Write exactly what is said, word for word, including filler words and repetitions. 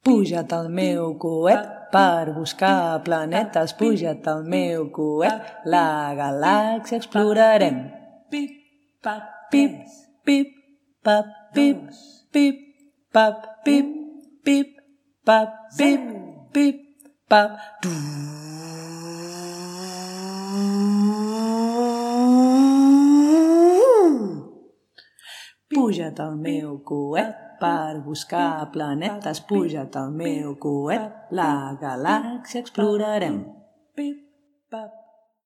Puja't al meu coet per buscar planetes, puja't al meu coet, la galàxia explorarem. Pip, pap, Pip, pip, pap, pip, pip, pap, pip, pip, pap, pip, pip, pap. Puja't al meu coet per buscar planetes, puja't al meu coet, la galàxia explorarem. pip, pap.